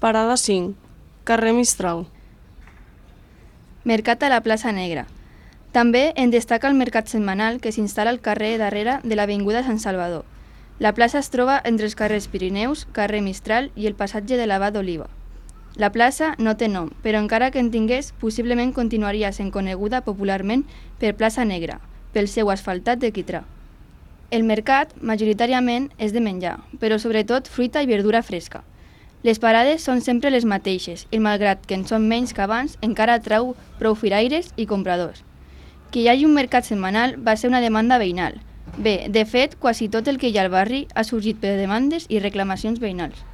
Parada 5, carrer Mistral. Mercat a la plaça Negra. També en destaca el mercat setmanal que s'instal·la al carrer darrere de l'avinguda Sant Salvador. La plaça es troba entre els carrers Pirineus, carrer Mistral i el passatge de l'Abat d'Oliva. La plaça no té nom, però encara que en tingués, possiblement continuaria sent coneguda popularment per plaça Negra, pel seu asfaltat de quitrà. El mercat, majoritàriament, és de menjar, però sobretot fruita i verdura fresca. Les parades són sempre les mateixes i, malgrat que en són menys que abans, encara atrau prou firaires i compradors. Que hi hagi un mercat setmanal va ser una demanda veïnal. Bé, de fet, quasi tot el que hi ha al barri ha sorgit per demandes i reclamacions veïnals.